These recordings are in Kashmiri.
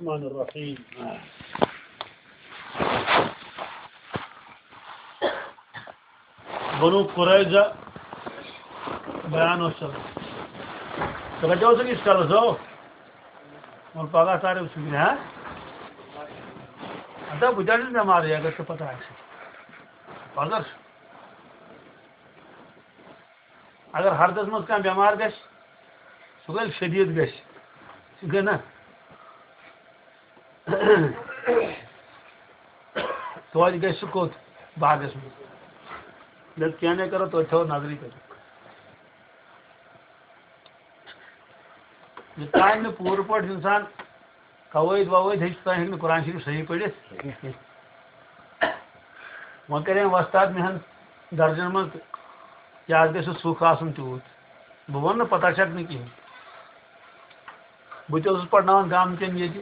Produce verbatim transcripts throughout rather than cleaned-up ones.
الرحمن الرحیم۔ بنو قریظہ بیان اوس چلان۔ ژٕ رٹیو سُہ ییٖتِس کالس، ہو؟ وۄنۍ پگاہ تارِ وٕچھُن، ہا؟ اَدٕ بہٕ تہِ آسہٕ بٮ۪مارٕے، اگر ژےٚ پتہ آسہِ۔ پگاہ، اگر ہردس منٛز کانٛہہ بٮ۪مار گژھِ، سُہ گژھِ شدیٖد گژھِ، سُہ گٔے نہ۔ توتہِ گژھِ سُہ کوٚت؟ باغس منٛز۔ دَپ، کینٛہہ نَے کرو، توتہِ تھاوو نظرٕے کٔرِتھ۔ یوٚتام نہٕ پوٗرٕ پٲٹھۍ اِنسان قوٲیِد ووٲیِد ہیٚچھِ، توٚتام ہیٚکہِ نہٕ قرآن شریٖف صحیح پٔرِتھ۔ وۄنۍ کَرے وۄستاد مےٚ ہن درجن منٛز تہٕ یہِ حظ گژھِ سُہ سُکھ آسُن تیوٗت۔ بہٕ وَنہٕ نہٕ پتہ چھکھ نہٕ کِہیٖنۍ۔ بہٕ تہِ اوسُس پرناوان گامہٕ کٮ۪ن ییٚتہِ۔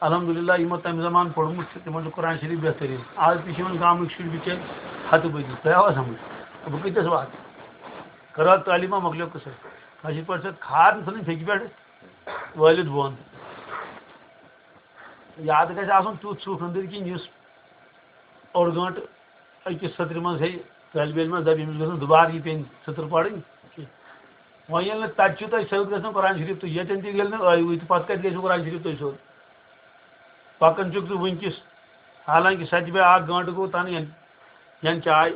الحمدللہ، یِمو تَمہِ زمانہٕ پوٚرمُت چھُ، تِمن چھُ قرآن شریٖف بہتریٖن۔ آز تہِ چھِ یِمن گامٕکۍ شُرۍ بِچٲرۍ ہَتہٕ بٔدی۔ تۄہہِ آوا سمجھ؟ بہٕ کۭتِس واتہٕ؟ خٲرا تعلیٖما مۄکلیو قٕصے۔ کٲشِر پٲٹھۍ چھِ کھاد ژھٕنٕنۍ پھیٚکہِ پٮ۪ٹھ وٲلِتھ بۄن۔ یاد گژھِ آسُن تیُتھ سُکھ أنٛدٕرۍ کِنۍ، یُس اوٚڑ گٲنٛٹہٕ أکِس سطرِ منٛز ہیٚیہِ طٲلبہِ علمس، دَپہِ، أمِس گٔژھ نہٕ دُبارٕ یہِ پیٚنۍ سطر پَرٕنۍ کینٛہہ۔ وۄنۍ ییٚلہِ نہٕ تَتہِ چھُ تۄہہِ سیوٚد گژھان قرآن شریٖف تہٕ ییٚتٮ۪ن تہِ ییٚلہِ نہٕ ٲیوٕے تہٕ پَتہٕ کَتہِ گژھِو قرآن شریٖف تۄہہِ سیوٚد؟ پَکان چھُکھ ژٕ وٕنکِس، حالانکہِ سَتہِ بَجہِ اَکھ گٲنٛٹہٕ گوٚو تَنہٕ یَنہٕ، یَنہٕ چاے،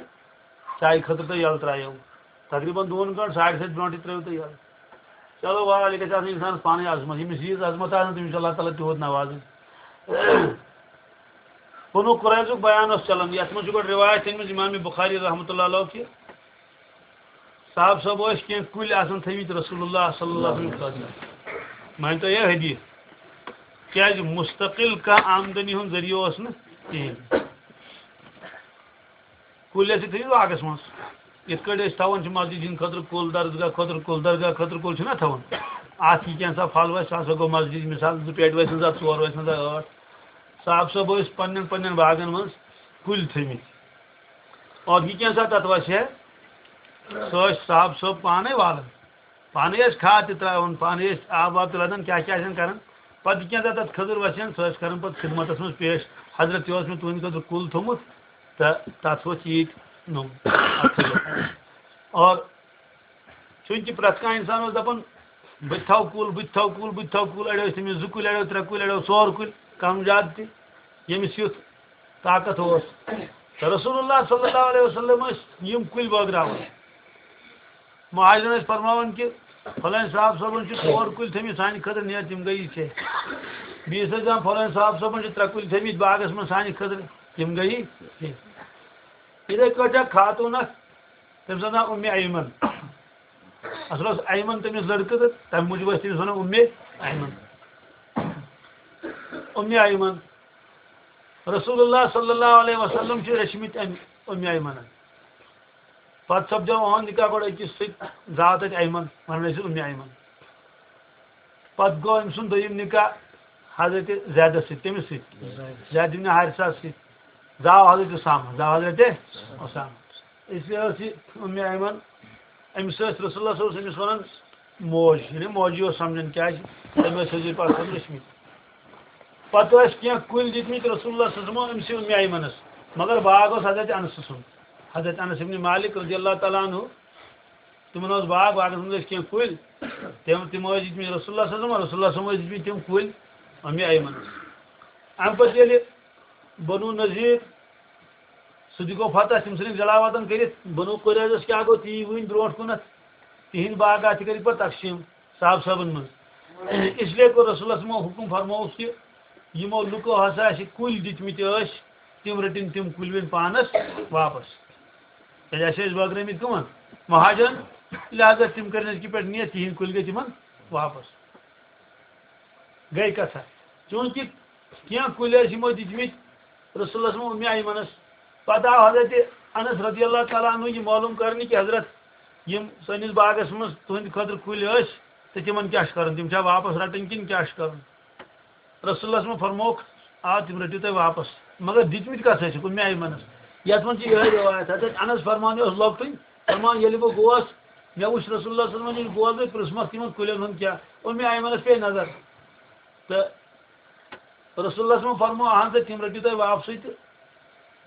چایہِ خٲطرٕ تۄہہِ یَلہٕ ترٛایو۔ تقریٖباً دۄن گٲنٛٹہٕ، ساڑِ سَتہِ برونٛٹھٕے ترٛٲیِو تُہۍ یَلہٕ۔ چلو، بہرحال، یہِ گژھِ آسٕنۍ اِنسانَس پانَے عظمت۔ ییٚمِس ییٖژ عظمت آسہِ، تٔمِس چھُ اللہ تعالیٰ تیوٗت نوازان۔ بنو قریظُک بیان اوس چلان، یَتھ منٛز چھُ گۄڈٕ رِوایت أنمٕژ اِمام بُخاری رحمتہ اللہ علیہ کہِ صاحب صٲب ٲسۍ کینٛہہ کُلۍ آسان تھٲومٕتۍ رسول اللہ صلی اللہ علیہ وسلم خٲطرٕ۔ مٲنۍ تو یہِ حدیث، کیٛازِ مستقل کانٛہہ آمدنی ہُنٛد ذٔریعہٕ اوس نہٕ کِہیٖنۍ۔ کُلۍ ٲسۍ تھٲوِتھ باغس منٛز۔ یِتھ کٲٹھۍ أسۍ تھاوان چھِ مسجد ہِنٛدِ خٲطرٕ کُل، درسگاہ خٲطرٕ کُل، درگاہ خٲطرٕ کُل چھِنہ تھاوان۔ اَتھ یہِ کینٛژھا پھل وَسہِ، سُہ ہسا گوٚو مسجد، مثال، زٕ پیٹہِ وَسہِ نہٕ، زٕ ژور وَسہِ نہٕ، زٕ ٲٹھ۔ صاحب صٲب ٲسۍ پنٛنٮ۪ن پنٛنٮ۪ن باغن منٛز کُلۍ تھٲومٕتۍ۔ اور یہِ کینٛژھا تَتھ وَسہِ ہے، سُہ ٲسۍ صاحب صٲب پانَے والان۔ پانے ٲسۍ کھاد تہِ ترٛاوان، پانے ٲسۍ آب واب تہِ لدان، کیٛاہ کیٛاہ ٲسۍ کران۔ پتہٕ یہِ کینٛہہ دۄہ تتھ کھٔزٕر وسان، سۄ ٲسۍ کران پتہٕ خدمتس منٛز پیش۔ حضرت، یہِ اوس مےٚ تُہنٛدِ خٲطرٕ کُل تھوٚمُت، تہٕ تتھ ووت ییٖتۍ نوٚم۔ اور چوٗنٛکہِ پرٛٮ۪تھ کانٛہہ انسان اوس دپان، بہٕ تہِ تھاوٕ کُل، بہٕ تہِ تھاوٕ کُل، بہٕ تہِ تھاوٕ کُل، اڑیو ٲسۍ تٔمِس زٕ کُلۍ، اڑیو ترٛےٚ کُلۍ، اڑیو ژور کُلۍ، کم زیادٕ تہِ، ییٚمِس یُتھ طاقت اوس۔ تہٕ رسول اللہ صلی اللہ علیہ وسلم ٲسۍ یِم کُلۍ بٲگراوان۔ مہاجرن ٲسۍ فرماوان کہِ فلٲنۍ صاحب صٲبن چھِ ژور کُلۍ تھٲمٕتۍ سانہِ خٲطرٕ، نیر تِم گٔیی ژےٚ۔ بیٚیِس ٲسۍ دَپان فلٲنۍ صاحب صٲبن چھِ ترٛےٚ کُلۍ تھٲمٕتۍ باغس منٛز سانہِ خٲطرٕ، تِم گٔیی ژےٚ۔ یِتھَے کٲٹھۍ اکھ خاتوٗن اکھ، تٔمِس اوس ناو اُمہِ ایمن۔ اصل اوس ایمن تٔمِس لڑکہٕ تہٕ تَمہِ موٗجوٗب ٲسۍ تٔمِس وَنان اُمہِ ایمن۔ اُمہِ ایمن۔ رسول اللہ صلی اللہ علیہ وسلم چھِ رٔچھمٕتۍ اَمہِ اُمہِ ایمنن۔ پتہٕ سپدیو اُہُنٛد نکاح گۄڈٕ أکِس سۭتۍ، زاو تتہِ ایمن، ونان ٲسِس اُمہِ ایمن۔ پتہٕ گوٚو أمۍ سُنٛد دوٚیِم نکاح حضرت زیدس سۭتۍ، کٔمِس سۭتۍ؟ زید ابن حارثہ سۭتۍ۔ زاو حضرت اسامہ، زاو حضرت اسامہ۔ اس لیے ٲس یہِ اُمہِ ایمن، أمِس ٲسۍ رسول اللہ صلی اللہ علیہ وسلم أمِس ونان موج، یعنی موجی اوس سمجھان، کیازِ تٔمۍ ٲسۍ حضور پاک صلی اللہ علیہ وسلم رٔچھمٕتۍ۔ پتہٕ ٲسۍ کینٛہہ کُلۍ دِتمٕتۍ رسول اللہ صلی اللہ علیہ وسلم أمۍ سٕے اُمہِ ایمنس، مگر باغ اوس حضرت انس سُنٛد۔ حضرت انس ابن مالک رضی اللہ تعالیٰ عنہ، تِمن اوس باغ، باغس منٛز ٲسۍ کینٛہہ کُلۍ، تِم، تِم ٲسۍ دِتمٕتۍ رسول اللہ صلی اللہ علیہ وسلم، رسول اللہ صلی اللہ علیہ وسلم ٲسۍ دِتمٕتۍ تِم کُلۍ اُمہِ ایمنس۔ امہِ پتہٕ ییٚلہِ بنو نذیر سُہ تہِ گوٚو فتح، تِم ژھٕنِکھ جلاوطن کٔرِتھ۔ بنو قریظس کیٛاہ گوٚو، تی وٕنۍ برونٛٹھ کُنتھ، تِہِنٛدۍ باغات تہِ کٔرِکھ پتہٕ تقسیٖم صاحب صٲبن منٛز۔ اس لیے کوٚر رسول اللہ صلی اللہ علیہ وسلمو حُکم فرمووُکھ کہِ یِمو لُکو ہسا اَسہِ کُلۍ دِتمٕتۍ ٲسۍ، تِم رٔٹِن تِم کُلۍ وۄنۍ پانس واپس۔ کیٛازِ اَسہِ ٲسۍ بٲگرٲمٕتۍ کٕمن؟ مہاجرن۔ لہذا تِم کٔرِن أزکہِ پٮ۪ٹھ نیت، تِہِنٛدۍ کُلۍ گٔے تِمن واپس۔ گٔے کتھا۔ چوٗنٛکہِ کینٛہہ کُلۍ ٲسۍ یِمو دِتمٕتۍ رسول اللہ صلی اللہ علیہ وسلم اُمہِ ایمنس۔ پتہٕ آو حضرت انس رضی اللہ تعالیٰ عنہ یہِ معلوم کرنہٕ کہِ حضرت، یِم سٲنِس باغس منٛز تُہنٛدِ خٲطرٕ کُلۍ ٲسۍ، تہٕ تِمن کیٛاہ چھُ کرُن؟ تِم چھا واپس رٹٕنۍ کِنہٕ کیٛاہ چھُ کرُن؟ رسول اللہ صلی اللہ علیہ وسلم فرمووُکھ، آ، تِم رٔٹِو تُہۍ واپس، مگر دِتمٕتۍ کتھ ٲسِکھ؟ اُمہِ ایمنس۔ یتھ منٛز چھِ یِہے روایت، حضرت انس فرمان، یہِ اوس لۄکٹُے، فرمان، ییٚلہِ بہٕ گوس، مےٚ وُچھ رسول اللہ صلی اللہ علیہ وسلم ییٚلہِ گوس، مےٚ پرٛژھمَکھ تِمن کُلٮ۪ن ہُنٛد کیٛاہ؟ اُمہِ ایمنس پیٚیہِ نظر۔ تہٕ رسول اللہ صٲبن فرموو، اہن سا، تِم رٔٹِو تُہۍ واپسٕے۔ تہٕ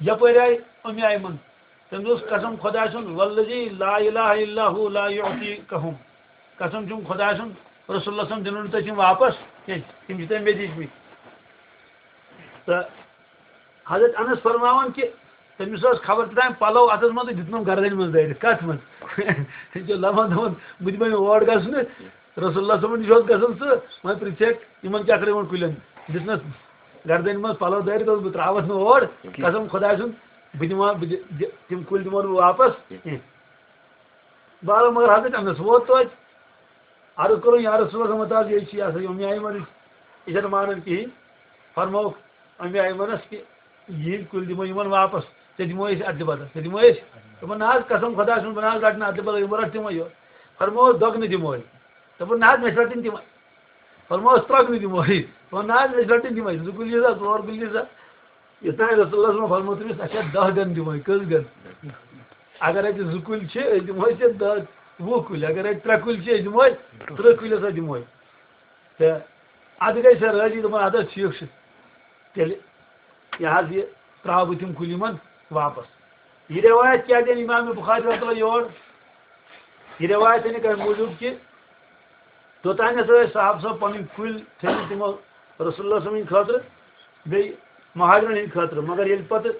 یپٲرۍ آیہِ اُمہِ آیہِ منٛز، تٔمۍ دوٚپُس، قسم خۄداے سُنٛد، والذی لا الہ الا ہو لا یعطیکہم، قسم چھُم خۄداے سُنٛد، رسول اللہ صٲبن دِنو نہٕ تۄہہِ تِم واپس کینٛہہ، تِم چھِ تۄہہِ مےٚ دِتمٕتۍ۔ تہٕ حضرت انس فرماوان کہِ تٔمِس ٲس خبر تہِ تام پلو اتھس منٛز تہٕ دیُتنم گردنہِ منٛز دٲرِتھ۔ کتھ منٛز؟ یہِ چھُ لمان دپان، بہٕ دِمے نہٕ اور گژھنہٕ۔ رسول اللہ صٲبن نِش اوس گژھان سُہ، وۄنۍ پرژھیکھ یِمن کیٛاہ کٔر یِمن کُلٮ۪ن؟ دِژنس گردنہِ منٛز پلو دٲرِتھ، دوٚپُس، بہٕ ترٛاوتھ نہٕ اور۔ قسم خۄداے سُنٛد، بہٕ دِمہٕ، بہٕ دِ-، دِ-، تِم کُلۍ دِمو نہٕ بہٕ واپس کینٛہہ۔ بہرحال، مگر حضرت انس ووت توتہِ۔ عرض کوٚرُن، یا رسول اللہ، مت حظ، یہِ چھِ یہِ ہسا یہِ اُمہِ آیہِ وَنٕنۍ، یہِ چھَنہٕ مانان کِہیٖنۍ۔ فرمووُکھ اُمہِ آیہِ وَنَس کہِ یِہِنٛدۍ کُلۍ دِمو یِمَن واپس، ژےٚ دِمو أسۍ اَدلہِ بدل، ژےٚ دِمو أسۍ۔ دوٚپُن، نہ حظ، قسم خۄداے سُنٛد، بہٕ نہ حظ رَٹہٕ نہٕ اَدلہِ بدل، یِمو رَٹھ تِمَے یوت۔ فرمووُس، دۄگنہٕ دِمو أسۍ۔ دوٚپُن، نہ حظ، مےٚ چھِ رَٹٕنۍ تِمَے۔ فرمووُس، ترٛۄگنہٕ دِمو أسۍ۔ دوٚپُن، نہ حظ، مےٚ چھِ رَٹٕنۍ تِمَے۔ زٕ کُلۍ چھِ سا، ژور کُلۍ چھِ سا؟ یوٚتام رسول اللہ صٲبن فرموو تٔمِس، اچھا، دَہ گن دِمو، کٔژ گن؟ اگر اَتہِ زٕ کُلۍ چھِ، أسۍ دِمو ژےٚ دَہ، وُہ کُلۍ۔ اگر اَتہِ ترٛےٚ کُلۍ چھِ، أسۍ دِمو، تٕرٛہ کُلۍ ہسا دِمو۔ تہٕ اَدٕ گٔے سۄ رٲضی، دوٚپُن، اَدٕ حظ، ٹھیٖک چھُ، تیٚلہِ یہِ حظ یہِ ترٛاوٕ بہٕ تِم کُلۍ یِمن واپس۔ یہِ رِوایت کیٛازِ أنۍ امام بخاری رحمتہ اللہ یور؟ یہِ رِوایت أنِکھ اَمہِ موٗجوٗب کہِ توٚتام ہسا ٲسۍ صاحب صٲب پنٕنۍ کُلۍ تھٲومٕتۍ تِمو رسول اللہ صٲبٕنۍ خٲطرٕ، بیٚیہِ مہاجرن ہٕنٛدِ خٲطرٕ۔ مگر ییٚلہِ پتہٕ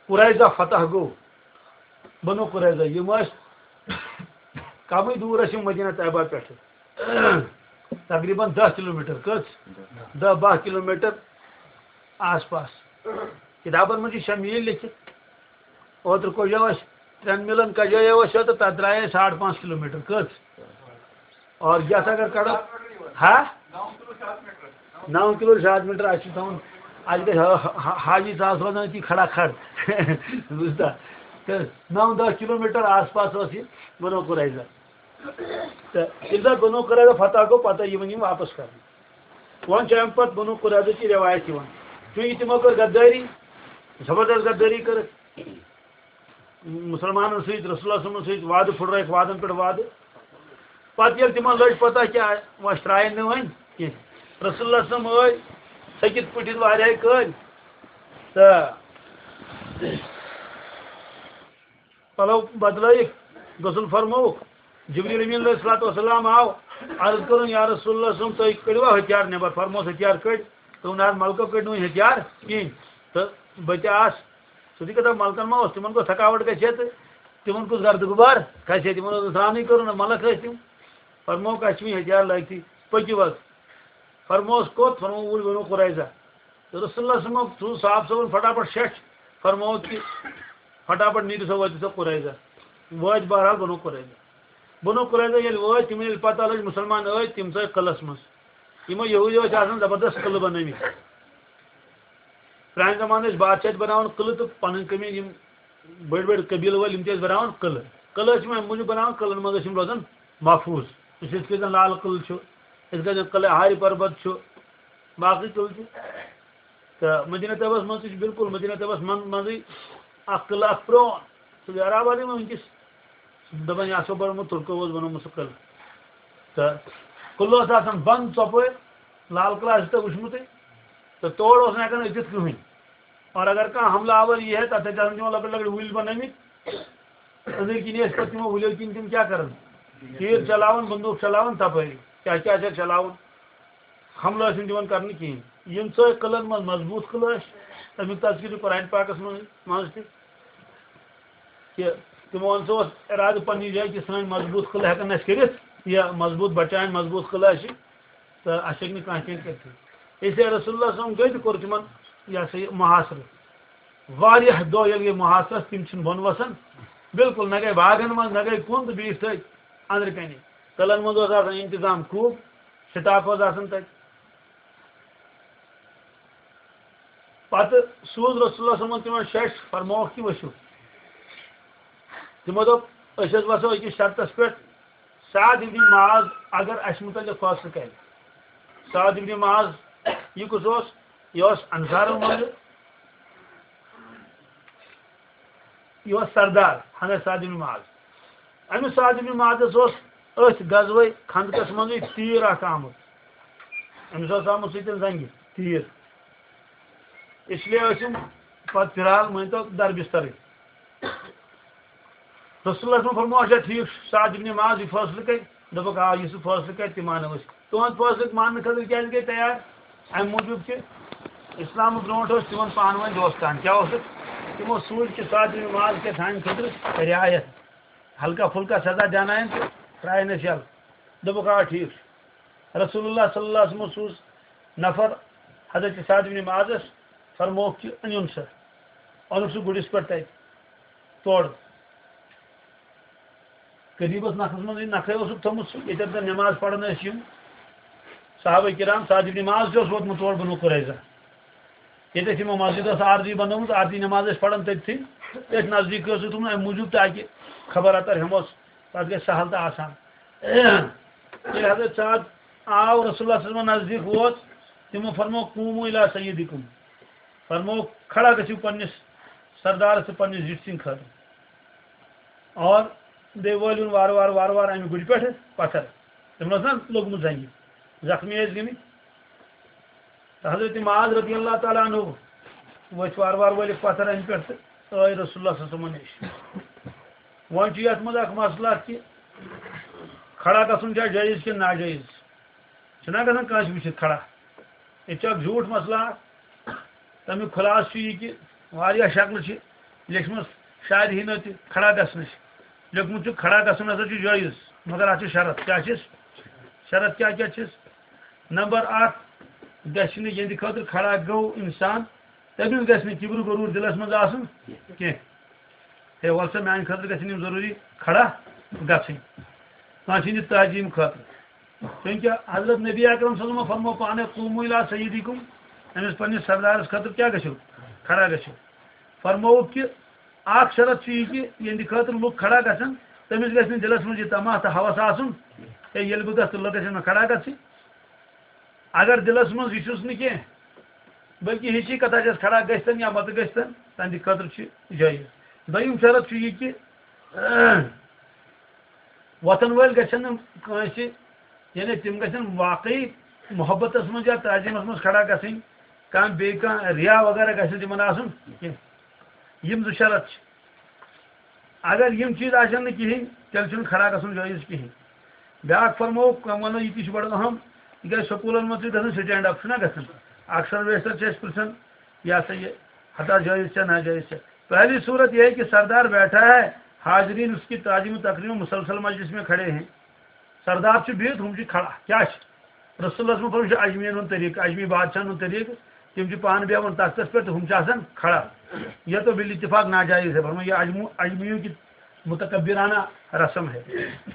قریظہ فتح گوٚو، بنو قریظہ، یِم ٲسۍ کمٕے دوٗر ٲسۍ یِم مدینہ طیبہ پٮ۪ٹھٕ، تقریباً دَہ کلوٗمیٹر، کٔژ؟ دَہ باہ کلوٗمیٹر آس پاس۔ کِتابن منٛز چھِ شےٚ میٖل لیکھِتھ۔ اوترٕ کوٚڑیو اَسہِ ترٛٮ۪ن میٖلن کجایو اَسہِ یوت، تہٕ تَتھ درٛایے أسۍ ساڑ پانٛژھ کلوٗمیٹر۔ کٔژ؟ اور یَتھ اگر کَڑو، ہا؟ نَو کِلوٗ شاٹ میٖٹر اَسہِ چھُ تھاوُن، اَسہِ گژھِ ہا-، ہا-، حاجی ساس روزان أتی کھڑا کھڑ۔ بوٗزتھا؟ تہٕ نَو دَہ کِلوٗمیٹر آس پاس اوس یہِ بنو قریظہ۔ تہٕ ییٚلہِ زَن بنو قریظہ فتح گوٚو، پَتہٕ یِوان یِم واپَس کَرنہٕ۔ وۄنۍ چھِ اَمہِ پَتہٕ بنو قریظہ چہِ رٮ۪وایت یِوان، چوٗنٛکہِ تِمو کٔر غدٲری، زبردست غدٲری کٔرٕکھ۔ مُسلمانن سۭتۍ، رسول اللہ صلی اللہ علیہ وسلمس سۭتۍ وعدٕ پھُٹرٲیِکھ، وعدن پٮ۪ٹھ وعدٕ۔ پتہٕ ییٚلہِ تِمن لٔج پتہ کہِ وۄنۍ ترٛایَن نہٕ وۄنۍ کینٛہہ، رسول اللہ صلی اللہ علیہ وسلم ٲے سٔکِتھ پٔٹھِتھ واریاہے کٲلۍ تہٕ پلو بدلٲیِکھ، غسل فرمووُکھ۔ جبریل امین علیہ الصلوۃ والسلام آو، عرض کٔرٕن، یا رسول اللہ صلی اللہ علیہ وسلم، تُہۍ کٔڑوا ہتھیار نٮ۪بر؟ فرموس، ہتھیار کٔڑۍ۔ دوٚپُن، نہ حظ، ملکو کٔڑۍ نہٕ وۄنۍ ہتھیار کِہینۍ۔ تہٕ بہٕ تہِ آس سیوٚدُے کتھا، ملکن ما اوس، تِمن کۄس تھکاوٹ گژھِ ہا تہٕ تِمن کُس گردٕ غبار کھسہِ ہا، تِمن اوس نہٕ سرانٕے کرُن، نہ ملک ٲسۍ تِم۔ فرمووُکھ، اَسہِ چھُ وۄنۍ ہتھیار لٲگتھٕے، پٔکِو حظ۔ فرمووُس کوٚت؟ فرمووُکھ، اوٗرۍ بنو قریظہ۔ تہٕ رسول اللہ صلی اللہ علیہ وسلمن تُل صاحب صٲبن فٹافٹ شیٚچھ، فرمووُکھ کہِ فٹافٹ نیٖرِو سا، وٲتِو سا قریظہ۔ وٲتۍ بہرحال بنو قریظہ۔ بنو قریظہ ییٚلہِ وٲتۍ، تِمن ییٚلہِ پتہ لٔج مُسلمان ٲتۍ، تِم ژٲے قلعس منٛز۔ یِمو یہودیو ٲسۍ آسان زبردست قلعہٕ بنٲومٕتۍ۔ پرانہِ زمانہٕ ٲسۍ بادشاہ تہِ بناوان قلعہٕ تہٕ پنٕنۍ کٔمِنۍ یِم بٔڑۍ بٔڑۍ قبیلہٕ وٲلۍ، یِم تہِ ٲسۍ بناوان قلعہٕ۔ قلعہٕ ٲسۍ یِم امہِ موٗجوٗب بناوان، قلعن منٛز ٲسۍ یِم روزان محفوٗظ۔ أسۍ یِتھ کٔنۍ زن لال قلعہٕ چھُ، أسۍ کٔنۍ زن قلعہ ہاری پربت چھُ، باقٕے قلعہٕ تہِ۔ تہٕ مدینہ طیبس منٛز تہِ چھُ بالکل مدینہ طیبس منٛز منٛزٕے اکھ قلعہٕ اکھ پرٛون، سُہ گوٚو عرب آبادٕے منٛز وٕنکیٚس۔ دَپان، یہِ ہسا بنومُت تُرکو اوس بنومُت سُہ قلعہٕ۔ تہٕ قلعہٕ اوس آسان بنٛد ژۄپٲرۍ، لال قلعہٕ آسہِ تۄہہِ وٕچھمُتٕے۔ تہٕ تور اوس نہٕ ہٮ۪کان أژِتھ کٕہٕنۍ۔ اور اگر کانٛہہ حملہٕ آور یی ہے، تَتھ ٲسۍ آسان تِمن لۄکٕٹۍ لۄکٕٹۍ وُلۍ بنٲومٕتۍ۔ أنٛدٕرۍ کِنۍ ٲسۍ پَتہٕ تِمو وُلیو کِنۍ تِم کیٛاہ کران؟ تیٖر چلاوان، بندوٗق چلاوان تَپٲری۔ کیٛاہ کیٛاہ چھِ اَتہِ چلاوان؟ حملہٕ ٲسۍ نہٕ دِوان کرنہٕ کِہیٖنۍ۔ یِم ژٲے قلعن منٛز مضبوٗط قلعہٕ ٲسۍ، تَمیُک تذکرٕ چھُ قرآن پاکس منٛز، منٛز تہِ۔ کہِ تِمو ہسا اوس ارادٕ پننہِ جایہِ کہِ سٲنۍ مضبوٗط قلعہٕ ہٮ۪کن نہٕ أسۍ کٔرِتھ، یہِ مضبوٗط بچاوٕنۍ، مضبوٗط قلعہٕ اَسہِ، تہٕ اَسہِ ہیٚکہِ نہٕ کانٛہہ کینٛہہ کٔرِتھٕے۔ اس لیے رسول اللہ صلی اللہ علیہ وسلم گٔے تہٕ کوٚر تِمن، یہِ ہسا یہِ، محاصرٕ۔ واریاہ دۄہ ییٚلہِ گٔے محاصرس، تِم چھِنہٕ بۄن وسان، بالکل نہ گٔے باغن منٛز، نہ گٔے کُن تہٕ بیٖٹھۍ تٔتھۍ أنٛدرٕ کَنہِ۔ قلعن منٛز اوس آسان انتظام خوٗب، سٹاف اوس آسان تَتہِ۔ پتہٕ سوٗز رسول اللہ صلی اللہ علیہ وسلمن تِمن شیٚچھ، فرمووُکھ کہِ ؤسِو۔ تِمو دوٚپ، أسۍ حظ وسو أکِس شرطس پٮ۪ٹھ، سعد ابن معاذ اگر اسہِ متعلق فٲصلہٕ کرِ۔ سعد ابن معاذ، یہِ کُس اوس؟ یہِ اوس انصارو منٛزٕ، یہِ اوس سردار، حضرت سعد ابن معاذ۔ أمِس سعد ابن معاذس اوس أتھۍ غزوہ خندقس منٛزٕے تیٖر اکھ آمُت۔ أمِس اوس آمُت سۭتۍ زنگہِ۔ تیٖر۔ اس لیے ٲسۍ یِم پتہٕ فی الحال مٲنۍ تو در بسترٕے۔ رسول اللہ صٲبن فرموو، اچھا ٹھیٖک چھُ، سعد ابن معاذ یہِ فٲصلہٕ کرِ؟ دوٚپُکھ، آ، یُس سُہ فٲصلہٕ کرِ، تہِ مانو أسۍ۔ تُہُنٛد فٲصلہٕ ماننہٕ خٲطرٕ کیٛازِ گٔے تیار؟ اَمہِ موٗجوٗب کہِ اِسلامہٕ برونٛٹھ اوس تِمن پانہٕ ؤنۍ دوستان۔ کیٛاہ اوسُکھ؟ تِمو سوٗزۍ کہِ سعد ابن معاذ کیٛاہ سانہِ خٲطرٕ رعایت، ہلکا پھُلکا سزا دیٛانایَن تہٕ ترٛایَن أسۍ یَلہٕ۔ دوٚپُکھ، آ، ٹھیٖک چھُ۔ رسول اللہ صلی اللہ علیہ وسلمو سوٗز نفر حضرت سعد ابن معاذس، فرمووُکھ کہِ أنِوُن سا، اوٚنُکھ سُہ گُرِس پٮ۪ٹھ تَتہِ تورٕ۔ قریٖبس نکھس منٛز یہِ نکھے اوسُکھ تھوٚمُت سُہ، ییٚتٮ۪تھ زن نماز پران ٲسۍ یِم صحابہ کرام، سعد ابن معاذ تہِ اوس ووتمُت تور بنو قریظہ۔ ییٚتٮ۪تھ یِمو مسجد ٲس عارضی بنٲومٕژ، عارضی نماز ٲسۍ پران تٔتھی، تٔتھۍ نزدیٖک ٲسٕکھ تھوٚمُت، امہِ موٗجوٗب تاکہِ خبر اتر ہٮ۪موس، پتہٕ گژھِ سہل تہٕ آسان۔ ییٚلہِ حضرت سعد آو، رسول اللہ صلی اللہ علیہ وسلم نزدیٖک ووت، تِمو فرموو، "قوموا الی سیدکم"، فرموو، "کھڑا گژھِو پننِس سردارس تہٕ پننِس زِٹھۍ سٕنٛدِ خٲطرٕ"۔ اور بیٚیہِ وٲلِوُن وارٕ وارٕ وارٕ وارٕ اَمہِ گُرِ پٮ۪ٹھ پَتھر۔ تِمن اوس نا لوٚگمُت زنٛگہِ، زخمی ٲسۍ گٔمٕتۍ۔ تہٕ حضرت معاذ رضی اللہ تعالیٰ عنہ ؤتھۍ وارٕ وارٕ وٲلِکھ پَتھر اَمہِ پٮ۪ٹھ تہٕ ٲے رسول اللہ صلی اللہ علیہ وسلمَن نِش۔ وۄنۍ چھُ یَتھ منٛز اَکھ مسلہٕ اَکھ کہِ کھڑا گژھُن چھا جٲیِز کِنہٕ ناجٲیِز؟ چھُنہ گژھان کٲنٛسہِ وٕچھِتھ کھڑا؟ ییٚتہِ چھُ اَکھ زیوٗٹھ مسلہٕ اَکھ۔ تَمیُک خُلاصہٕ چھُ یہِ کہِ واریاہ شکلہٕ چھِ لیٚچھمٕژ شارحیٖنو تہِ کھڑا گژھنٕچ۔ لیوٚکھمُت چھُ کھڑا گژھُن ہسا چھُ جٲیِز، مگر اَتھ چھِ شرط۔ کیٛاہ چھِس؟ شرط کیٛاہ کیٛاہ چھِس؟ نمبر اکھ، گژھِ نہٕ یِہنٛدِ خٲطرٕ کھڑا گوٚو اِنسان، تٔمِس گژھِ نہٕ کِبرُ غروٗر دِلس منٛز آسُن کینٛہہ۔ ہے، وَلہٕ سا، میٛانہِ خٲطرٕ گژھن یِم ضروٗری کھڑا گژھٕنۍ، کٲنٛسہِ ہٕنٛدِ تعظیٖم خٲطرٕ۔ چونکہ حضرت نبی اکرم صلی اللہ علیہ وسلم فرمو پانے، "قوموا الی سیدکم"، أمِس پننِس سردارس خٲطرٕ کیٛاہ گژھِو؟ کھڑا گژھِو۔ فرمووُکھ کہ اکھ شرط چھُ یہِ کہ یِہنٛدِ خٲطرٕ لُکھ کھڑا گژھن، تٔمِس گژھِ نہٕ دِلس منٛز یہِ طمع تہٕ ہوس آسُن، ہے، ییٚلہِ بہٕ گژھٕ تہٕ لُکھ گژھن مےٚ کھڑا گژھٕنۍ۔ اگر دِلس منٛز یہِ چھُس نہٕ کینٛہہ، بلکہ ہِشی کتھا چھَس کھڑا گٔژھتن یا مت گٔژھتن، تہنٛدِ خٲطرٕ چھُ جٲیِز۔ دوٚیِم شرط چھُ یہِ کہِ وۄتھن وٲلۍ گژھن نہٕ کٲنٛسہِ، یعنی تِم گژھن واقعی محبتس منٛز یا تعظیمس منٛز کھڑا گژھٕنۍ، کانٛہہ بیٚیہِ کانٛہہ ریا وغیرہ گژھِ نہٕ تِمن آسُن کینٛہہ۔ یِم زٕ شرط چھِ۔ اگر یِم چیٖز آسن نہٕ کِہیٖنۍ، تیٚلہِ چھُنہٕ کھڑا گژھُن جٲیِز کِہیٖنۍ۔ بیٛاکھ فرمووُکھ، وۄنۍ وَنو، یہِ تہِ چھُ بڑٕ اہم، تِکیٛازِ سکوٗلن منٛز چھُ گژھان stand up، چھُنہ گژھان؟ اکثر بیشتر چھِ اَسہِ پرٛژھان، یہِ ہسا یہِ، ہتا جٲیِز چھا ناجٲیِز چھا؟ پہلی صورت یہ ہے کہ سردار بیٹھا ہے، حاضرین اس کی تعظیم و تکریم و مسلسل مجلس میں کھڑے ہیں۔ سردار چھُ بِہِتھ، ہُم چھِ کھڑا۔ کیٛاہ چھِ؟ رسول اللہ صلی اللہ علیہ وسلم چھُ عجمیَن ہُنٛد طریٖقہٕ، عجمی بادشاہَن ہُنٛد طریٖقہٕ، تِم چھِ پانہٕ بیٚہوان تختس پٮ۪ٹھ تہٕ ہُم چھِ آسان کھڑا۔ یہ تو بالاتفاق ناجائز ہے، فرمایا، یہ عجمو-، عجمیوں کی متکبرانہ رسم ہے۔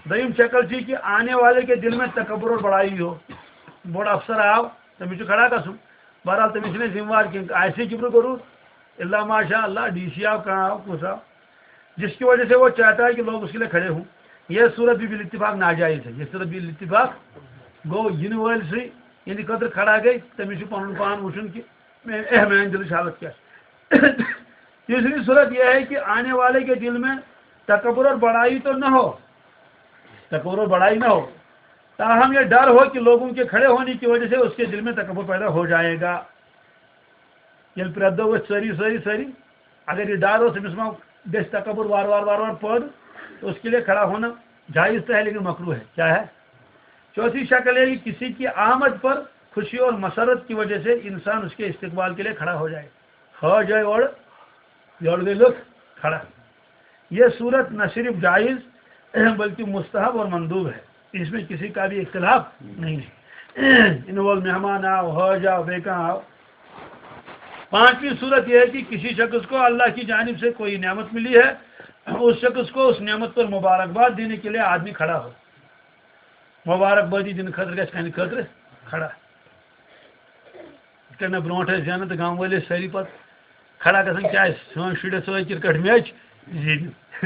دوٚیِم شکل چھِ کہ آنے والے کے دل میں تکبر اور بڑائی ہو۔ بوٚڑ افسر آو، تٔمِس چھُ کھڑا گژھُن۔ بہرحال، تٔمِس چھِنہٕ أسۍ ذمہٕ وار کینٛہہ، آسہِ ہے کِبرُ غروٗر، الا ماشاء اللہ، ڈی سی آو، کانٛہہ آو، کُس آو، جس کی وجہ سے وہ چاہتا ہے کہ لوگ اس کے لیے کھڑے ہوں۔ یہ صورت بھی بالاتفاق ناجائز ہے۔ یہ صورت بالاتفاق گوٚو، یِنہٕ وٲلۍ سٕے یِہنٛدِ خٲطرٕ کھڑا گٔے، تٔمِس چھُ پنُن پان وٕچھُن کہ مے-، اے، میٛانہِ دِلٕچ حالت کیٛاہ چھِ۔ تیسری صورت یہ ہے کہ آنے والے کے دل میں تکبر اور بڑائی تو نہ ہو، تکبر اور بڑائی نہ ہو، تاہم یہ ڈر ہو کہ لوگوں کے کھڑے ہونے کی وجہ سے اس کے دل میں تکبر پیدا ہو جائے گا۔ ییٚلہِ پرٛٮ۪تھ دۄہ ؤتھۍ سٲری، سٲری، سٲری، اگر یہِ ڈر اوس، أمِس ما گژھِ تکبر وار وار، وار وار پٲدٕ، تو اس کے لیے کھڑا ہونا جائز تو ہے، لیکن مکروہ ہے۔ کیا ہے؟ چوتھی شکل ہے کہ کسی کی آمد پر خوشی اور مسرت کی وجہ سے انسان اس کے استقبال کے لیے کھڑا ہو جائے۔ ہا جائے اور یور گئے لوگ کھڑا۔ یہ صورت نہ صرف جائز بلکہ مستحب اور مندوب ہے، اس میں کسی کا بھی اختلاف نہیں ہے۔ ان وول مہمان آو، حاج آو، بیکاں آو۔ پانچویں صورت یہ ہے کہ کسی شخص کو اللہ کی جانب سے کوئی نعمت ملی ہے، اس شخص کو اس نعمت پر مبارکباد دینے کے لیے آدمی کھڑا ہو۔ مبارکبادی دِنہٕ خٲطرٕ گژھِ کَنہِ خٲطرٕ کھڑا۔ یِتھ کٔنۍ مےٚ برونٛٹھ ٲسۍ زینان تہٕ گامہٕ وٲلۍ ٲسۍ سٲری پَتہٕ کھڑا گژھان، کیٛازِ سٲنۍ شُرۍ ٲسۍ سۭتۍ کرکٹ میچ زیٖنِتھ۔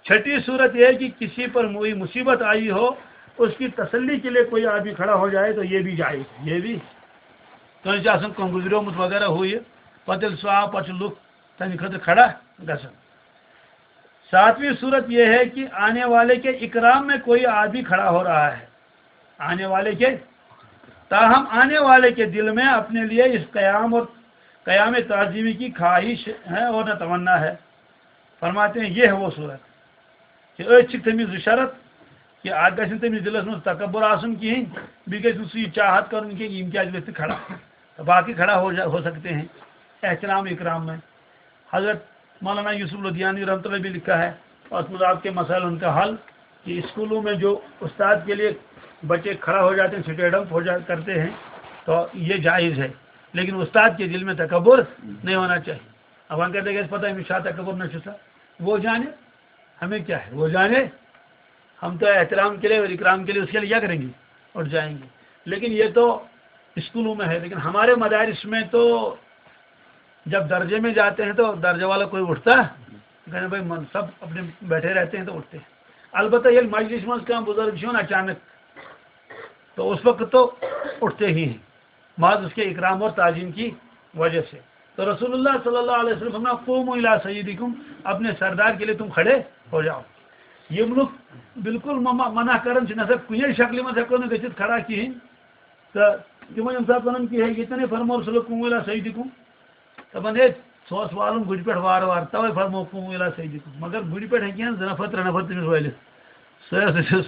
چھٹی صورت یہ ہے کہ کسی پر کوئی مصیبت آئی ہو، اس کی تسلی کے لیے کوئی آدمی کھڑا ہو جائے تو یہ بھی جائز، یہ بھی۔ کٲنٛسہِ آسان کانٛہہ گُزریومُت وغیرہ ہُہ یہِ، پَتہٕ ییٚلہِ سُہ آو، پَتہٕ چھِ لُکھ تَمہِ خٲطرٕ کھڑا گژھان۔ ساتویں صورت یہ ہے کہ آنے والے کے اکرام میں کوئی آدمی کھڑا ہو رہا ہے۔ آنے والے کے تاہم آنے والے کے دل میں اپنے لیے اس قیام اور قیام تعظیمی کی خواہش ہے اور نہ تمنا ہے۔ فرماتے ہیں، یہ ہے وہ صورت کہ أتھۍ چھِ تٔمِس زٕ شرط، کہ اکھ گژھِ نہٕ تٔمِس دِلس منٛز تکبر آسُن کِہیٖنۍ، بیٚیہِ گژھِ نہٕ سُہ یہِ چاہت کرُن کینٛہہ کہ یِم کیازِ ؤتھۍ نہٕ کھڑا، تہٕ باقٕے کھڑا ہو جا-، ہو سکتے ہیں احترام اکرام میں۔ حضرت مولانا یوسف لدھیانوی رحمۃ اللہ بھی لکھا ہے، اور اس میں آپ کے مسائل ان کا حل، کہ اسکولوں میں جو استاد کے لیے بچے کھڑا ہو جاتے ہیں، اسٹینڈ اپ ہو جا کرتے ہیں، تو یہ جائز ہے، لیکن استاد کے دل میں تکبر نہیں ہونا چاہیے۔ اب ہم کہتے ہیں کہ پتہ ہے، شاہ تکبر نہ چھسا، وہ جانے، ہمیں کیا ہے، وہ جانے، ہم تو احترام کے لیے اور اکرام کے لیے اس کے لیے کیا کریں گے، اٹھ جائیں گے۔ لیکن یہ تو اسکولوں میں ہے، لیکن ہمارے مدارس میں تو جب درجے میں جاتے ہیں تو درجے والا کوئی اٹھتا، کہتے ہیں، بھائی، من سب اپنے بیٹھے رہتے ہیں تو اٹھتے ہیں۔ البتہ یہ مجلس منٛز کانٛہہ بزرگ چھُ یِوان اچانک، تو اس وقت تو اٹھتے ہی ہیں، محض اس کے اکرام اور تعظیم کی وجہ سے۔ تو رسول اللہ صلی اللہ علیہ وسلم فرمایا، "قوموا الی سیدکم"، اپنے سردار کے لیے تم کھڑے ہو جاؤ۔ یِم لُکھ بالکل مما-، منع کران چھِ، نہ سا کُنے شکلہِ منٛز ہٮ۪کو نہٕ گٔژھِتھ کھڑا کِہیٖنۍ۔ تہٕ تِمو ییٚمہِ ساتہٕ وَنان کہِ، "ہے، یہِ تہِ نَے فرموو رسول، قوموا الی سیدکم"، دَپان، ہے، سُہ اوس والُن گُرِ پٮ۪ٹھ وارٕ وارٕ، تَوَے فرموو، "قوموا الی سیدکم"۔ مگر گُرِ پٮ۪ٹھ ہیٚکہِ ہا زٕ نفر، ترٛےٚ نفر تٔمِس وٲلِتھ۔ سُہ اوس، سُہ اوس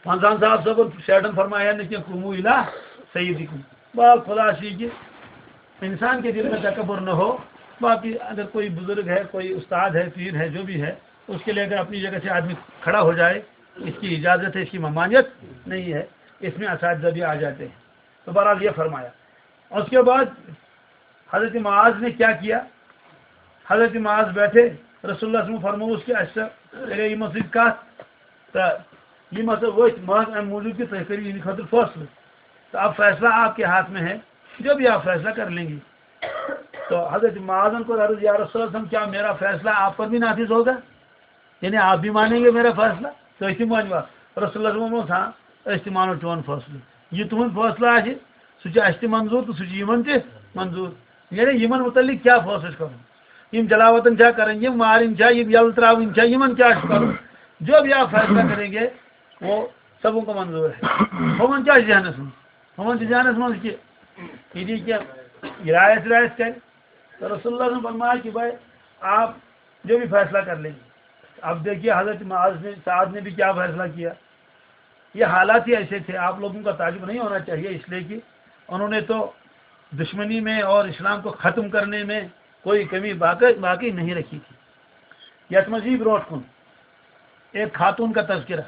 پنٛژاہن صاحب صٲبن شیٹن فرمایا نہٕ کینٛہہ، "قوموا الی سیدکم"۔ بہرحال خلاصہ یہ کہ انسان کے دل میں تکبر نہ ہو، باقی اگر کوئی بزرگ ہے، کوئی استاد ہے، پیر ہے، جو بھی ہے، اس کے لیے اگر اپنی جگہ سے آدمی کھڑا ہو جائے، اس کی اجازت ہے، اس کی ممانعت نہیں ہے، اس میں اساتذہ بھی آ جاتے ہیں۔ تو بہرحال یہ فرمایا۔ اور اس کے بعد حضرت معاذ نے کیا کیا؟ حضرت معاذ بیٹھے، رسول اللہ صلی اللہ علیہ وسلم فرمووُس کہ اَسہِ سا کَرے یِمن سۭتۍ کَتھ، تہٕ یِم ہسا ؤتھۍ محض اَمہِ موٗجوٗب کہِ تُہۍ کٔرِو یِہِنٛدِ خٲطرٕ فٲصلہٕ۔ تو اب فیصلہ آپ کے ہاتھ میں ہے، جو بھی آپ فیصلہ کر لیں گے۔ تو حضرت معاذن کوٚر عرض، یا رسول اللہ صلی اللہ علیہ وسلم، کیا میرا فیصلہ آپ پر بھی نافذ ہوگا؟ یعنی آپ بھی مانیں گے میرا فیصلہ؟ تو أسۍ تہِ مانوا۔ رسول اللہ صلی اللہ علیہ وسلم، ہاں، أسۍ تہِ مانو چون فٲصلہٕ۔ یہِ تُہُنٛد فٲصلہٕ آسہِ، سُہ چھُ اَسہِ تہِ منظوٗر تہٕ سُہ چھُ یِمن تہِ منظوٗر۔ یعنی یِمن مُتعلِق کیٛاہ فٲصلہٕ چھُ کَرُن؟ یِم جلاوطن چھا کَرٕنۍ، یِم مارٕنۍ چھا، یِم یَلہٕ ترٛاوٕنۍ چھا، یِمن کیٛاہ چھُ کَرُن؟ جو بھی آپ فیصلہ کریں گے، وہ سب ان کو منظور ہے۔ ہُمن کیٛاہ چھُ ذہنس منٛز؟ ہُمن چھُ ذہنس منٛز کہِ یہِ دی کینٛہہ، یہِ رایس رایس کرِ۔ تو رسول اللہ نے فرمایا کہ بھائی، آپ جو بھی فیصلہ کر لیں گے۔ اب دیکھیے، حضرت معاذ نے، سعد نے بھی کیا فیصلہ کیا۔ یہ حالات ہی ایسے تھے، آپ لوگوں کا تعجب نہیں ہونا چاہیے، اس لیے کہ انہوں نے تو دشمنی میں اور اسلام کو ختم کرنے میں کوئی کمی باقی، باقی نہیں رکھی تھی۔ یتھ منٛز یی برونٛٹھ کُن ایک خاتون کا تذکرہ۔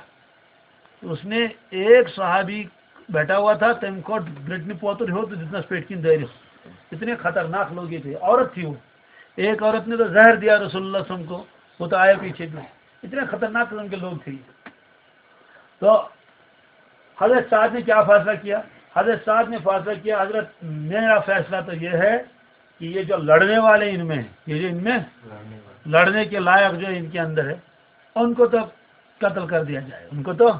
اس نے، ایک صحابی بیٹھا ہوا تھا، تم کو برٹنی پوتر ہو تو جتنا پیٹ کی دے رہے ہو۔ اتنے خطرناک لوگ یہ تھے، عورت تھی وہ۔ ایک عورت نے تو زہر دیا رسول اللہ صلی اللہ علیہ وسلم کو، وہ تو آیا پیچھے میں۔ اتنے خطرناک قسم کے لوگ تھے یہ۔ تو حضرت سعد نے کیا فیصلہ کیا؟ حضرت سعد نے فیصلہ کیا، حضرت، میرا فیصلہ تو یہ ہے کہ یہ جو لڑنے والے ان میں ہیں، یہ جو ان میں لڑنے کے لائق جو ان کے اندر ہے، ان کو تو قتل کر دیا جائے، ان کو تو،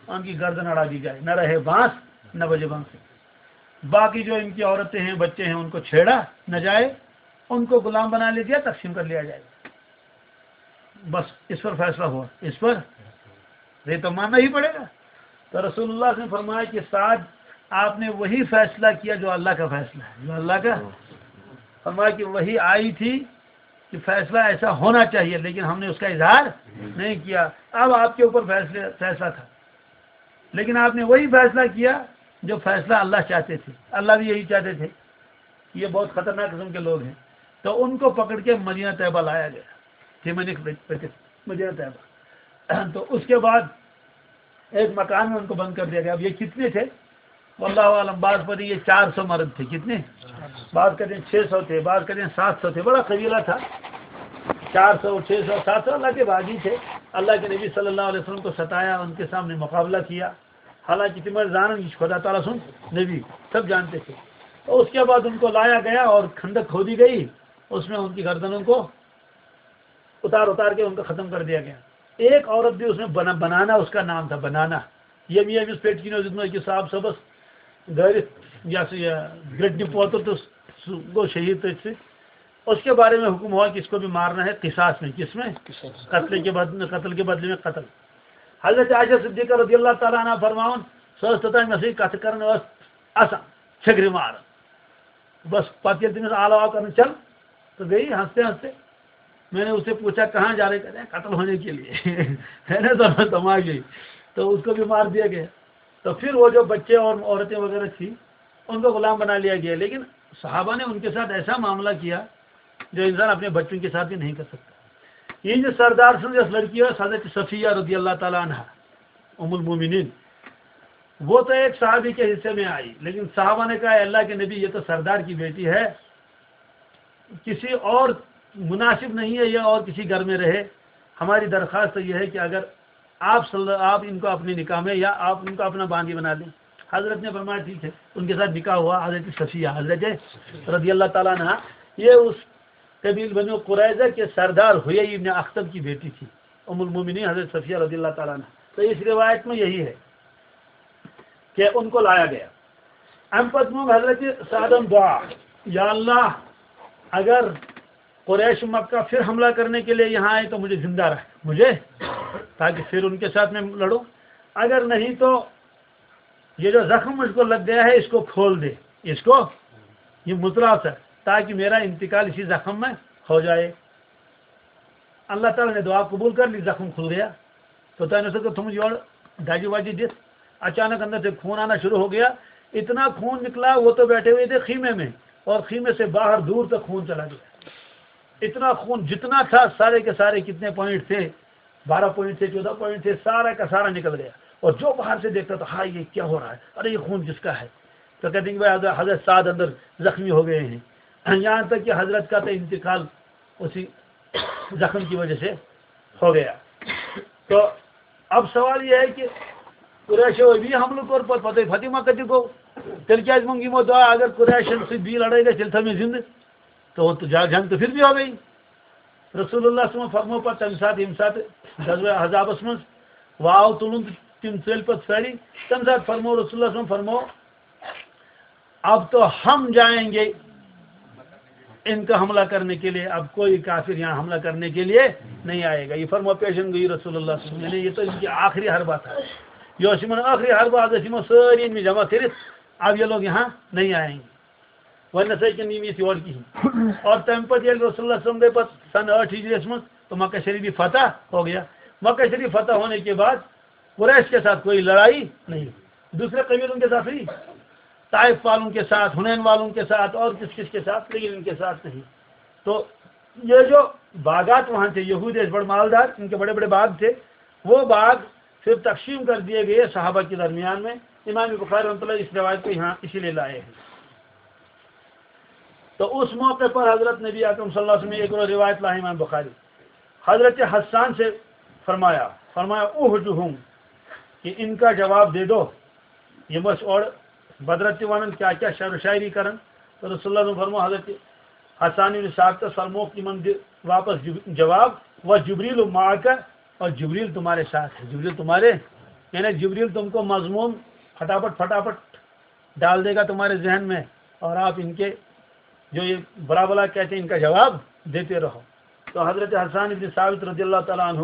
ان کی گردن اڑا دی جائے، نہ رہے بانس نہ بجے بانسری۔ باقی جو ان کی عورتیں ہیں، بچے ہیں، ان کو چھیڑا نہ جائے، ان کو غلام بنا لیا جائے، تقسیم کر لیا جائے۔ بس اس پر فیصلہ ہوا، اس پر یہ تو ماننا ہی پڑے گا۔ تو رسول اللہ نے فرمایا کہ سعد، آپ نے وہی فیصلہ کیا جو اللہ کا فیصلہ ہے، جو اللہ کا، فرمایا کہ وحی آئی تھی کہ فیصلہ ایسا ہونا چاہیے، لیکن ہم نے اس کا اظہار نہیں کیا۔ اب آپ کے اوپر فیصلے، فیصلہ تھا، لیکن آپ نے وہی فیصلہ کیا جو فیصلہ اللہ چاہتے تھے، اللہ بھی یہی چاہتے تھے۔ یہ بہت خطرناک قسم کے لوگ ہیں۔ تو ان کو پکڑ کے مدینہ طیبہ لایا گیا، تھے مدینہ طیبہ۔ تو اس کے بعد ایک مکان میں ان کو بند کر دیا گیا۔ اب یہ کتنے تھے؟ واللہ عالم، بعض پر یہ چار سو مرد تھے۔ کتنے؟ بعض کہتے ہیں چھ سو تھے، بعض کہتے ہیں سات سو تھے۔ بڑا قبیلہ تھا، چار سو، چھ سو، سات سو، اللہ کے باغی تھے۔ اللہ کے نبی صلی اللہ علیہ وسلم کو ستایا، ان کے سامنے مقابلہ کیا۔ حالانکہ تم زانن، یہ خدا تعالیٰ سن نبی، سب جانتے تھے۔ تو اس کے بعد ان کو لایا گیا اور خندق کھودی گئی، اس میں ان کی گردنوں کو اتار اتار کے ان کو ختم کر دیا گیا۔ ایک عورت بھی اس میں بنا-، بنانا اس کا نام تھا، بنانا۔ یہ بھی، یہ بھی اس پیٹ کی نوزت میں کہ صاحب صبس گھر یا سا یہ گرٹنی پوتر تو س-، گو شہید تھی۔ اس کے بارے میں حکم ہوا کہ اس کو بھی مارنا ہے قصاص میں۔ کس میں؟ قصاص۔ قتل کے بدلے، قتل کے بدلے میں قتل۔ حضرت عائشہ صدیقہ رضی اللہ تعالیٰ عنہ فرماؤن، سو استطاع میں سے کتھ کرنے واس آسان چھٔکرِ ماران۔ بس پتہٕ ییٚلہِ تٔمِس آلہٕ آو کرنہٕ، چل، تو گئی ہنستے ہنستے۔ میں نے اسے پوچھا، کہاں جا رہے؟ کہتے ہیں، قتل ہونے کے لیے۔ میں نے سمجھا، تم آ گئی۔ تو اس کو بھی مار دیا گیا۔ تو پھر وہ جو بچے اور عورتیں وغیرہ تھی، ان کو غلام بنا لیا گیا، لیکن صحابہ نے ان کے ساتھ ایسا معاملہ کیا جو انسان اپنے بچوں کے ساتھ بھی نہیں کر سکتا۔ یہ جو سردار سن، اس لڑکی ہے حضرت صفیہ رضی اللہ تعالیٰ عنہ، ام المومنین، وہ تو ایک صحابی کے حصے میں آئی، لیکن صحابہ نے کہا، "اے اللہ کے نبی، یہ تو سردار کی بیٹی ہے، کسی اور مناسب نہیں ہے یہ اور کسی گھر میں رہے۔ ہماری درخواست تو یہ ہے کہ اگر آپ صلی آپ ان کو اپنے نکاح میں یا آپ ان کو اپنا باندی بنا لیں۔" حضرت نے فرمایا، "ٹھیک ہے۔" ان کے ساتھ نکاح ہوا، حضرت صفیہ، حضرت رضی اللہ تعالیٰ عنہ، یہ اس قبیل بنو قریظہ کے سردار حیی ابن اخطب کی بیٹی تھی، ام المومنین حضرت صفیہ رضی اللہ تعالیٰ عنہ۔ تو اس روایت میں یہی ہے کہ ان کو لایا گیا۔ امہِ پتہٕ مۄنگ حضرت سعدن دعا، یا اللہ، اگر قریش مکہ پھر حملہ کرنے کے لیے یہاں آئے تو مجھے زندہ رکھ، مجھے، تاکہ پھر ان کے ساتھ میں لڑوں۔ اگر نہیں تو یہ جو زخم مجھ کو لگ گیا ہے، اس کو کھول دے، اس کو، یہ متلا سا، تاکہ میرا انتقال اسی زخم میں ہو جائے۔ اللہ تعالیٰ نے دعا قبول کر لی، زخم کھل گیا۔ تو تم نے سوچا تم یور داجی واجی دس، اچانک اندر سے خون آنا شروع ہو گیا، اتنا خون نکلا، وہ تو بیٹھے ہوئے تھے خیمے میں، اور خیمے سے باہر دور تک خون چلا گیا۔ اتنا خون جتنا تھا، سارے کے سارے کتنے پوائنٹ تھے، بارہ پوائنٹ تھے، چودہ پوائنٹ تھے، سارا کا سارا نکل گیا۔ اور جو باہر سے دیکھتا تھا، ہاں، یہ کیا ہو رہا ہے؟ ارے، یہ خون کس کا ہے؟ تو کہتے ہیں کہ بھائی، حضرت، حضرت سعد اندر زخمی ہو گئے ہیں۔ یہاں تک کہ حضرت کا تو انتقال اسی زخم کی وجہ سے ہو گیا۔ تو اب سوال یہ ہے کہ قریش ابھی حملہ کر پر فتح، فتح مکہ کو، تیل کیا مونگی مو دعا، اگر قریش سے بھی لڑائی گئی، تیل تھا میں زندہ، تو وہ تو جا-، جنگ تو پھر بھی ہو گئی۔ رسول اللہ صلی اللہ علیہ وسلم فرمو پر تم ساتھ، ہم ساتھ غزوہ احزابس منز واو تلن تم ژٔلۍ پتہٕ سٲری۔ تم ساتھ فرمو رسول اللہ صلی اللہ علیہ وسلم فرمو، اب تو ہم جائیں گے ان کا حملہ کرنے کے لیے، اب کوئی کافر یہاں حملہ کرنے کے لیے نہیں آئے گا۔ یہ فرمو پیشن گوئی رسول اللہ صلی اللہ علیہ وسلم، یعنی یہ تو ان کی آخری حربہ تھا۔ یہ اوس یمن آخری حربہ، حضرت یمن سٲری أنمٕتۍ جمع کٔرِتھ، اب یہ لوگ یہاں نہیں آئیں گے۔ وۄنۍ نسا ہیٚکن یِم یِتھ یور کِہیٖنۍ۔ اور تَمہِ پتہٕ ییٚلہِ رسول اللہ صلی اللہ علیہ وسلم گٔے پتہٕ سنہٕ ٲٹھ ہجری یَس منٛز، تو مکہ شریف بھی فتح ہو گیا۔ مکہ شریف فتح ہونے کے بعد قریش کے ساتھ کوئی لڑائی نہیں، دوسرے قبیلوں کے ساتھ ہوئی، طائف والوں کے ساتھ، حنین والوں کے ساتھ اور کس کس کے ساتھ، لیکن ان کے ساتھ نہیں۔ تو یہ جو باغات وہاں تھے، یہود ایسے بڑے مالدار، ان کے بڑے بڑے باغ تھے، وہ باغ پھر تقسیم کر دیے گئے صحابہ کے درمیان میں۔ امام بخاری رحمۃ اللہ اس روایت کو یہاں اسی لیے لائے ہیں۔ تو اس موقع پر حضرت نبی اکرم صلی اللہ علیہ وسلم نے ایک اور روایت لا ہے امام بخاری، حضرت حسان سے فرمایا، فرمایا، "احجهم"، کہ ان کا جواب دے دو۔ یہ مس اور بدرت ونن کیا کیا شعر و شاعری کرن۔ تو رسول اللہ صلی اللہ علیہ وسلم فرمو حضرت حسان بن ثابت فرمو کہ من دِ واپس جب-، جواب، "و جبریل معک"، اور جبریل تمہارے ساتھ ہے، جبریل تمہارے، یعنی جبریل تم کو مضمون فٹافٹ فٹافٹ ڈال دے گا تمہارے ذہن میں، اور آپ ان کے جو یہ برا بلا کہتے ہیں، ان کا جواب دیتے رہو۔ تو حضرت حسان ابن ثابت رضی اللہ تعالیٰ عنہ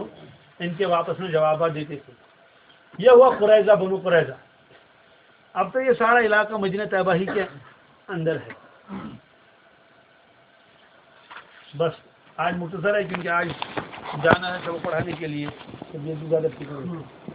ان کے واپس میں جوابات دیتے تھے۔ یہ ہوا قریظہ، بنو قریظہ۔ اب تو یہ سارا علاقہ مدینہ طیبہ ہی کے اندر ہے۔ بس آج مختصر ہے، کیونکہ آج جانا ہے سبق پڑھانے کے لیے، تو یہ بھی زیادہ فکر نہیں۔